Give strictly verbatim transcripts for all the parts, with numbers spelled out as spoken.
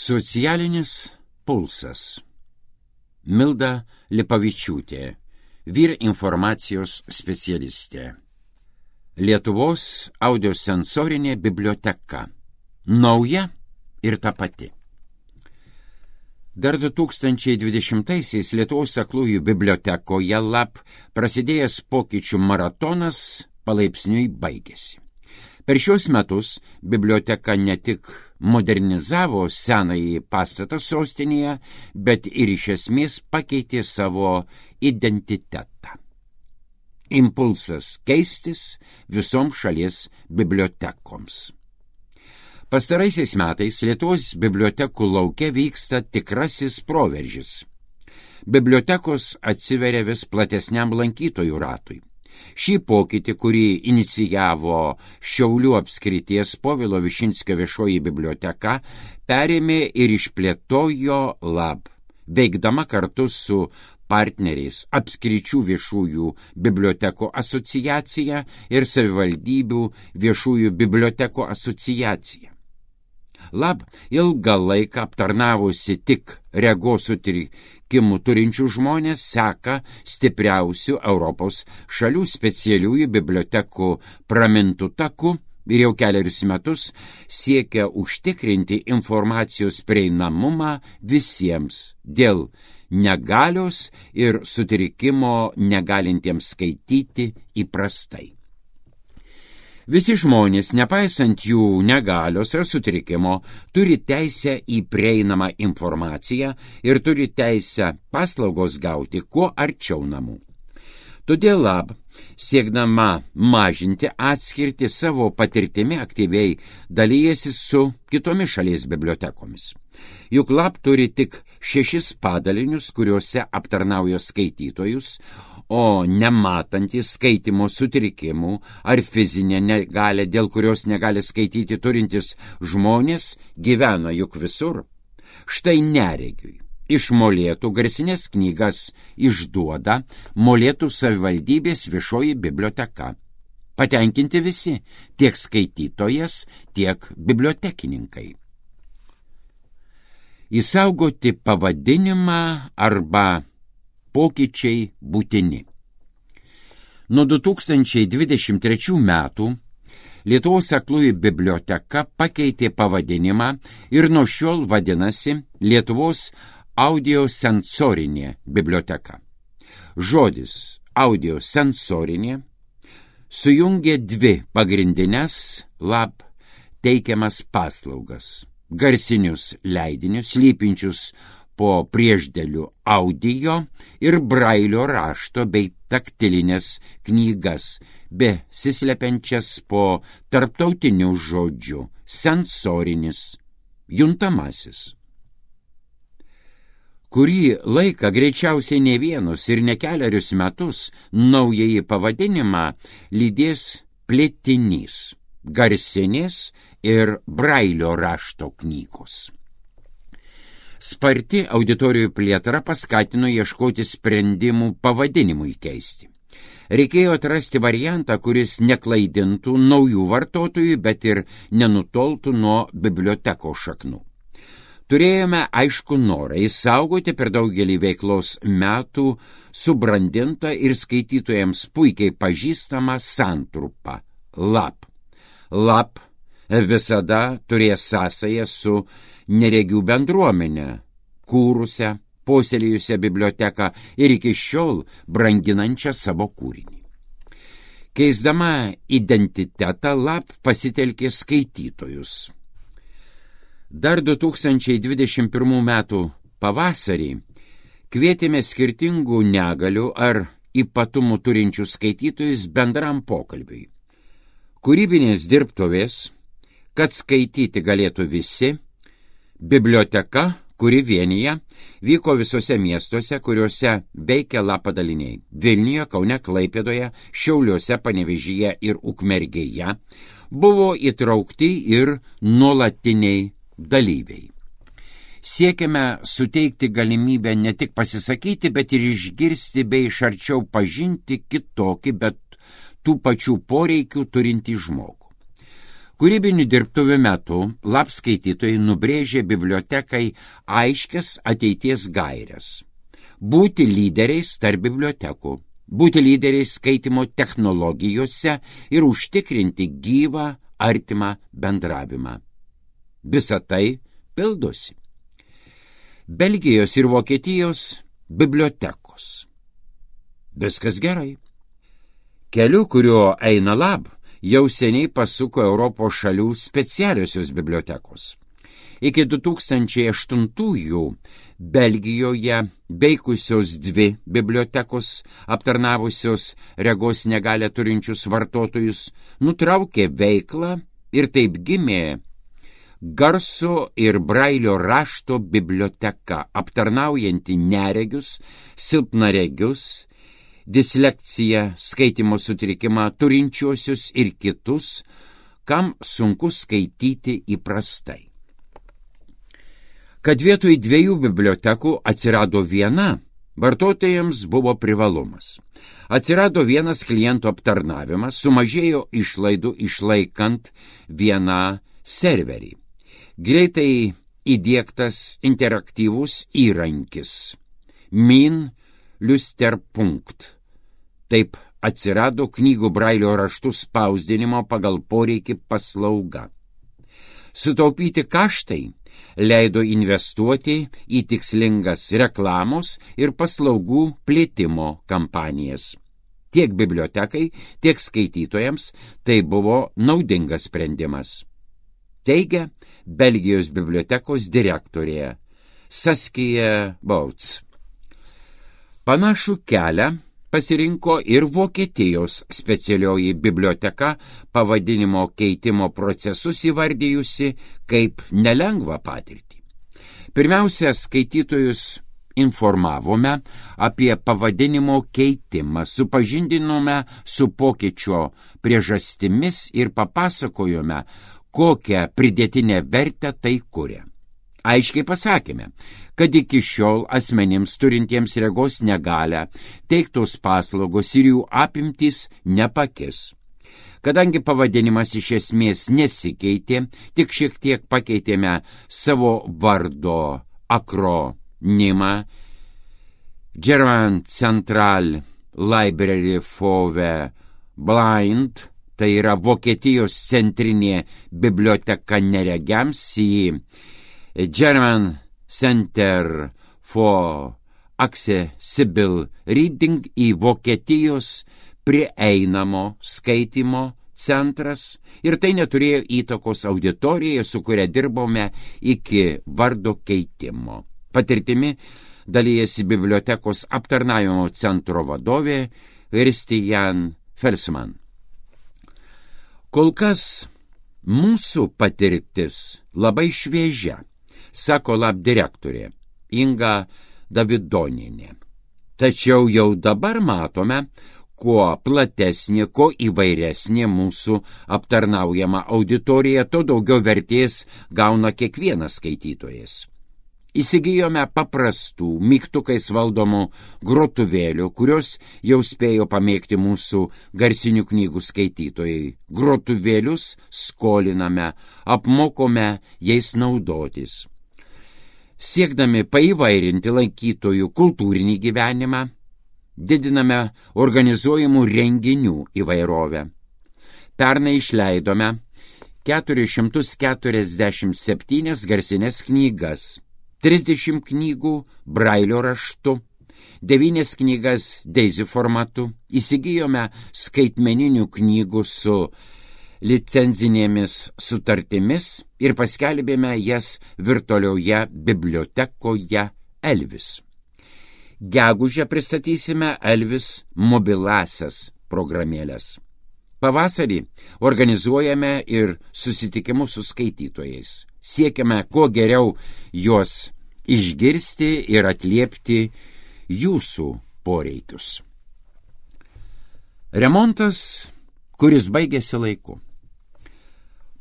Socialinis pulsas. Milda Lipavičiūtė, vyr informacijos specialistė. Lietuvos audiosensorinė biblioteka. Nauja ir ta pati. Dar du tūkstančiai dvidešimtaisiais Lietuvos aklųjų bibliotekoje lab prasidėjęs pokyčių maratonas palaipsniui baigėsi. Per šios metus biblioteka ne tik modernizavo senąjį pastatą sostinėje, bet ir iš esmės pakeitė savo identitetą. Impulsas keistis visoms šalies bibliotekoms. Pastaraisiais metais Lietuvos bibliotekų lauke vyksta tikrasis proveržis. Bibliotekos atsiveria vis platesniam lankytojų ratui. Šį pokytį, kurį inicijavo Šiaulių apskrities Povilo Višinskio viešoji biblioteka, perėmė ir išplėtojo lab, veikdama kartu su partneriais apskričių viešųjų bibliotekų asociacija ir savivaldybių viešųjų bibliotekų asociacija. Lab ilgą laiką aptarnavusi tik regos sutrikimų turinčių žmonės seka stipriausių Europos šalių specialiųjų bibliotekų pramintų takų ir jau keliarius metus siekia užtikrinti informacijos prieinamumą visiems dėl negalios ir sutrikimo negalintiems skaityti įprastai. Visi žmonės, nepaisant jų negalios ar sutrikimo, turi teisę į prieinamą informaciją ir turi teisę paslaugos gauti kuo arčiau namų. Todėl lab, siekdama mažinti atskirtį savo patirtimi, aktyviai dalyjasi su kitomis šalies bibliotekomis. Juk lab turi tik šešis padalinius, kuriuose aptarnauja skaitytojus, o nematantys skaitymo sutrikimų ar fizinė negalė, dėl kurios negali skaityti turintys žmonės, gyvena juk visur. Štai neregiui iš Molėtų garsinės knygas išduoda Molėtų savivaldybės viešoji biblioteka. Patenkinti visi, tiek skaitytojas, tiek bibliotekininkai. Įsaugoti pavadinimą arba pokyčiai būtini. Nuo du tūkstančiai dvidešimt trečių metų Lietuvos aklųjų biblioteka pakeitė pavadinimą ir nuo šiol vadinasi Lietuvos audiosensorinė biblioteka. Žodis audiosensorinė sujungia dvi pagrindinės lab teikiamas paslaugas – garsinius leidinius, slypinčius po priešdėlių audio ir brailio rašto bei taktilinės knygas, besislepiančias po tarptautinių žodžių, sensorinis, juntamasis. Kurį laiką, greičiausiai ne vienus ir ne keliarius metus, naująjį pavadinimą lydės plėtinys, garsinės ir brailio rašto knygos. Sparti auditorijų plėtra paskatino ieškoti sprendimų pavadinimui keisti. Reikėjo atrasti variantą, kuris neklaidintų naujų vartotojų, bet ir nenutoltų nuo bibliotekos šaknų. Turėjome aišku norą įsaugoti per daugelį veiklos metų subrandintą ir skaitytojams puikiai pažįstamą santrupą – lab. Lab visada turės sąsają su neregių bendruomenę, kūrusią, puoselėjusią biblioteką ir iki šiol branginančią savo kūrinį. Keisdama identitetą lab pasitelkė skaitytojus. Dar du tūkstančiai dvidešimt pirmų metų pavasarį kvietėme skirtingų negalių ar ypatumų turinčių skaitytojus bendram pokalbiui. Kūrybinės dirbtuvės, kad skaityti galėtų visi, biblioteka, kuri vienyje, vyko visose miestuose, kuriuose veikia lab padaliniai – Vilniuje, Kaune, Klaipėdoje, Šiauliuose, Panevėžyje ir Ukmergėje, buvo įtraukti ir nuolatiniai dalyviai. Siekiame suteikti galimybę ne tik pasisakyti, bet ir išgirsti bei iš arčiau pažinti kitokį, bet tų pačių poreikių turintį žmogų. Kūrybinių dirbtuvių metu lab skaitytojai nubrėžė bibliotekai aiškias ateities gairias. Būti lyderiais tarp bibliotekų, būti lyderiais skaitimo technologijose ir užtikrinti gyvą, artimą bendravimą. Visa tai pildosi. Belgijos ir Vokietijos bibliotekos. Viskas gerai. Keliu, kuriuo eina lab, jau seniai pasuko Europos šalių specialiosios bibliotekos. Iki du tūkstančiai aštuntųjų Belgijoje veikusios dvi bibliotekos aptarnavusios regos negalią turinčius vartotojus nutraukė veiklą ir taip gimė garso ir brailio rašto biblioteka, aptarnaujanti neregius, silpnaregius, dislekciją, skaitimo sutrikimą turinčiuosius ir kitus, kam sunku skaityti įprastai. Kad vietoj dviejų bibliotekų atsirado viena, vartotojams buvo privalumas. Atsirado vienas klientų aptarnavimas, sumažėjo išlaidų išlaikant vieną serverį. Greitai įdiegtas interaktyvus įrankis Min Lusterpunkt. Taip atsirado knygų brailio raštų spausdinimo pagal poreikį paslauga. Sutaupyti kaštai leido investuoti į tikslingas reklamos ir paslaugų plėtimo kampanijas. Tiek bibliotekai, tiek skaitytojams tai buvo naudingas sprendimas. Teigia Belgijos bibliotekos direktorė Saskia Bouts. Panašų kelią pasirinko ir Vokietijos specialioji biblioteka, pavadinimo keitimo procesus įvardijusi kaip nelengvą patirtį. Pirmiausia, skaitytojus informavome apie pavadinimo keitimą, supažindinome su pokyčio priežastimis ir papasakojome, kokią pridėtinę vertę tai kuria. Aiškiai pasakėme, kad iki šiol asmenims turintiems regos negalią teiktos paslaugos ir jų apimtys nepakis. Kadangi pavadinimas iš esmės nesikeitė, tik šiek tiek pakeitėme savo vardo akronimą German Central Library for the Blind, tai yra Vokietijos centrinė biblioteka neregiams, į German Center for Accessible Reading, į Vokietijos prieinamo skaitimo centras, ir tai neturėjo įtakos auditorijai, su kuria dirbome iki vardo keitimo. Patirtimi dalyjasi bibliotekos aptarnavimo centro vadovė Christian Felsman. Kol kas mūsų patirtis labai šviežia, sako lab direktorė Inga Davidonienė. Tačiau jau dabar matome, kuo platesnė, kuo įvairesnė mūsų aptarnaujama auditorija, to daugiau vertės gauna kiekvienas skaitytojas. Įsigijome paprastų, mygtukais valdomų grotuvėlių, kurios jau spėjo pamėgti mūsų garsinių knygų skaitytojai. Grotuvėlius skoliname, apmokome jais naudotis. Siekdami paįvairinti lankytojų kultūrinį gyvenimą, didiname organizuojamų renginių įvairovę. Pernai išleidome keturis šimtus keturiasdešimt septynias garsinės knygas, trisdešimt knygų brailio raštu, devynias knygas Daisy formatu, įsigijome skaitmeninių knygų su licenzinėmis sutartimis ir paskelbėme jas virtualioje bibliotekoje Elvis. Gegužę pristatysime Elvis mobilasias programėlės. Pavasarį organizuojame ir susitikimus su skaitytojais. Siekiame kuo geriau juos išgirsti ir atliepti jūsų poreikius. Remontas, kuris baigėsi laiku.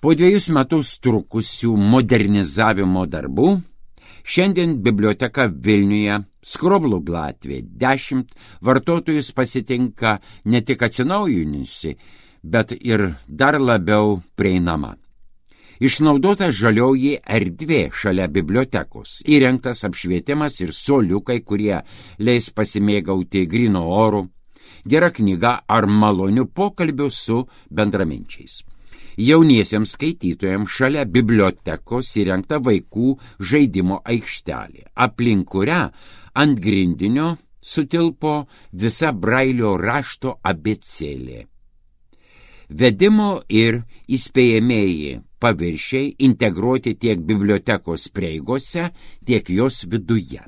Po dviejus metus trukusių modernizavimo darbų, šiandien biblioteka Vilniuje, Skroblų gatvė dešimt, vartotojus pasitinka ne tik atsinaujinusi, bet ir dar labiau prieinama. Išnaudota žalioji erdvė šalia bibliotekos, įrengtas apšvietimas ir suoliukai, kurie leis pasimėgauti gryno oru, gera knyga ar maloniu pokalbiu su bendraminčiais. Jauniesiems skaitytojams šalia bibliotekos įrengta vaikų žaidimo aikštelė, aplink kurią ant grindinio sutilpo visa Brailio rašto abėcėlė. Vedimo ir įspėjamieji paviršiai integruoti tiek bibliotekos prieigose, tiek jos viduje.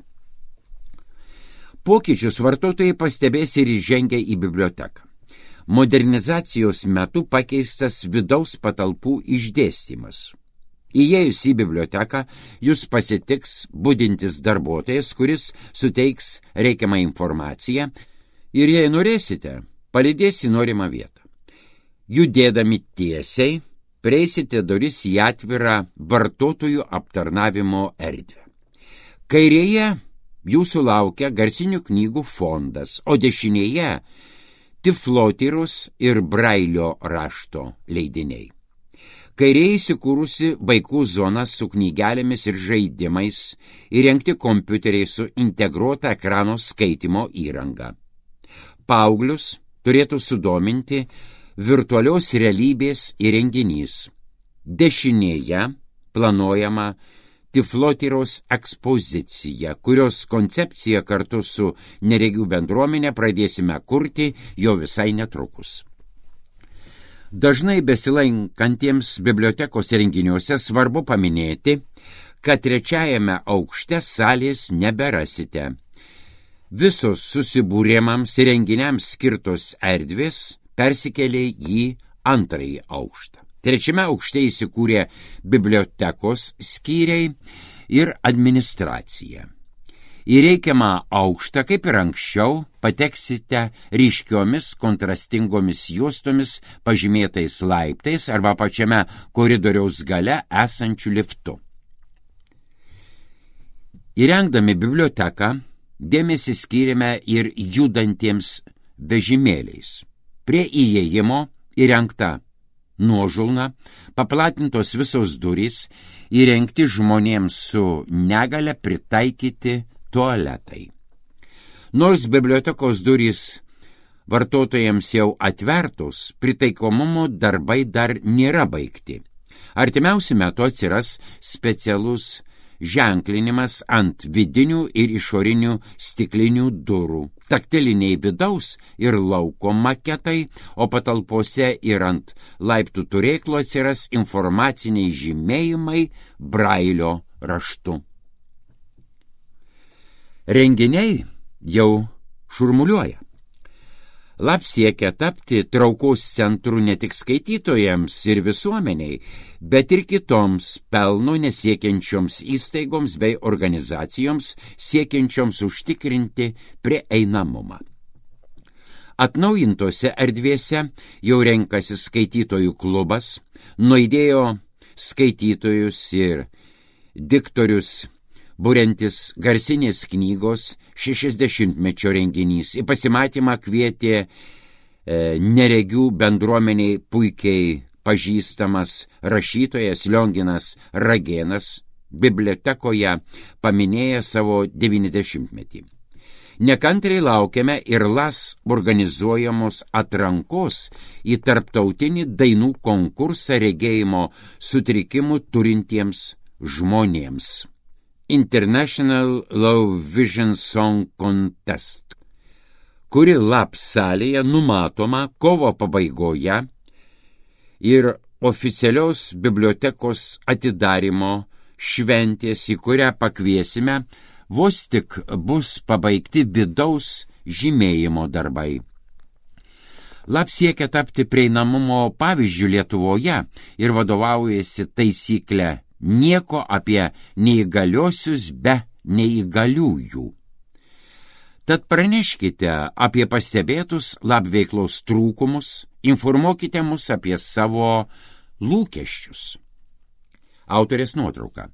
Pokyčius vartotojai pastebės ir įžengę į biblioteką. Modernizacijos metu pakeistas vidaus patalpų išdėstymas. Įėjus į biblioteką, jūs pasitiks budintis darbuotojas, kuris suteiks reikiamą informaciją ir, jei norėsite, palydės į norimą vietą. Judėdami tiesiai, prieisite duris į atvirą vartotojų aptarnavimo erdvę. Kairėje jūsų laukia garsinių knygų fondas, o dešinėje Tiflotyrus ir Brailio rašto leidiniai. Kairėje įsikūrusi vaikų zona su knygelėmis ir žaidimais, įrengti kompiuteriai su integruota ekrano skaitimo įranga. Paauglius turėtų sudominti virtualios realybės įrenginys. Dešinėje planuojama Tiflotyros ekspozicija, kurios koncepciją kartu su neregių bendruomenė pradėsime kurti jau visai netrukus. Dažnai besilankantiems bibliotekos renginiuose svarbu paminėti, kad trečiajame aukšte salės neberasite. Visos susibūrimams ir renginiams skirtos erdvės persikėlė į antrąjį aukštą. Trečiame aukšte įsikūrė bibliotekos skyriai ir administracija. Į reikiamą aukštą, kaip ir anksčiau, pateksite ryškiomis kontrastingomis juostomis pažymėtais laiptais arba pačiame koridoriaus gale esančiu liftu. Įrengdami biblioteką, dėmesį skyrėme ir judantiems vežimėliais. Prie įėjimo įrengta nuožulna, paplatintos visos durys, įrengti žmonėms su negale pritaikyti tualetai. Nors bibliotekos durys vartotojams jau atvertos, pritaikomumo darbai dar nėra baigti. Artimiausiu metu atsiras specialus ženklinimas ant vidinių ir išorinių stiklinių durų, taktiliniai vidaus ir lauko maketai, o patalpose ir ant laiptų turėklų atsiras informaciniai žymėjimai Brailio raštu. Renginiai jau šurmuliuoja. Lab siekia tapti traukos centru ne tik skaitytojams ir visuomeniai, bet ir kitoms pelno nesiekiančioms įstaigoms bei organizacijoms siekiančioms užtikrinti prieinamumą. Atnaujintose erdvėse jau renkasi skaitytojų klubas, nuaidėjo skaitytojus ir diktorius buriantis garsinės knygos šešiasdešimtmečio renginys. Į pasimatymą kvietė e, neregių bendruomeniai puikiai pažįstamas rašytojas Lionginas Ragėnas, bibliotekoje paminėję savo devyniasdešimtmetį. Nekantriai laukiame ir las organizuojamos atrankos į tarptautinį dainų konkursą regėjimo sutrikimų turintiems žmonėms. International Low Vision Song Contest, kuri lab salėje numatoma kovo pabaigoje ir oficialios bibliotekos atidarymo šventės, į kurią pakviesime, vos tik bus pabaigti vidaus žymėjimo darbai. Lab siekia tapti prieinamumo pavyzdžių Lietuvoje ir vadovaujasi taisyklę nieko apie neįgaliosius be neįgaliųjų. Tad praneškite apie pastebėtus lab veiklos trūkumus, informuokite mus apie savo lūkesčius. Autorės nuotrauka.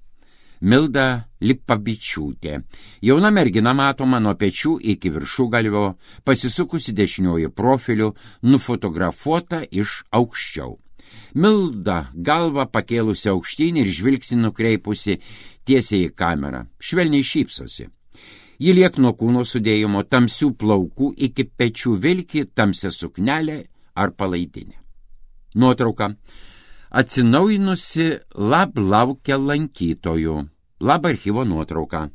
Milda Lipavičiūtė. Jauna mergina matoma nuo pečių iki viršugalvio, pasisukusi dešiniuoju profiliu, nufotografuota iš aukščiau. Milda galva pakėlusi aukštyn ir žvilgsnį nukreipusi tiesiai į kamerą. Švelniai šypsosi. Ji liekno kūno sudėjimo tamsių plaukų iki pečių vilki tamsią suknelę ar palaidinę. Nuotrauka. Atsinaujinusi lab laukia lankytojų. Lab archyvo nuotrauka.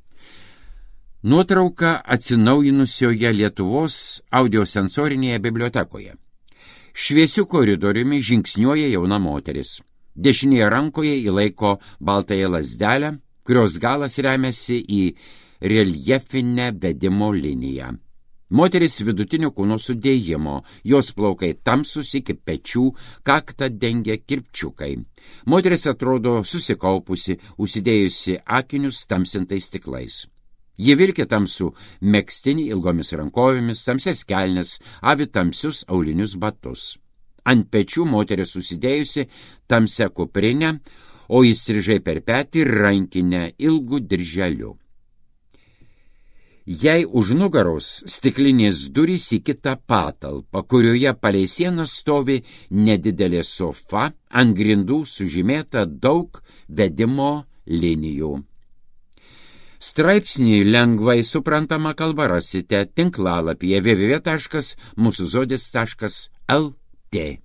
Nuotrauka atsinaujinusioje Lietuvos audiosensorinėje bibliotekoje. Šviesiu koridoriumi žingsniuoja jauna moteris. Dešinėje rankoje įlaiko baltąją lazdelę, kurios galas remiasi į reljefinę vedimo liniją. Moteris vidutinio kūno sudėjimo, jos plaukai tamsus iki pečių, kaktą dengia kirpčiukai. Moteris atrodo susikaupusi, užsidėjusi akinius tamsintais stiklais. Ji vilki tamsų megztinį ilgomis rankovėmis, tamsias kelnes, avi tamsius aulinius batus. Ant pečių moteris susidėjusi tamsią kuprinę, o įstrižai per petį rankinę ilgų dirželių. Jai už nugaros stiklinės durys į kitą patalpą, kurioje palei sieną stovi nedidelė sofa, ant grindų sužymėta daug vedimo linijų. Straipsnį lengvai suprantama kalba rasite tinklalapyje w w w taškas mūsų žodis taškas l t.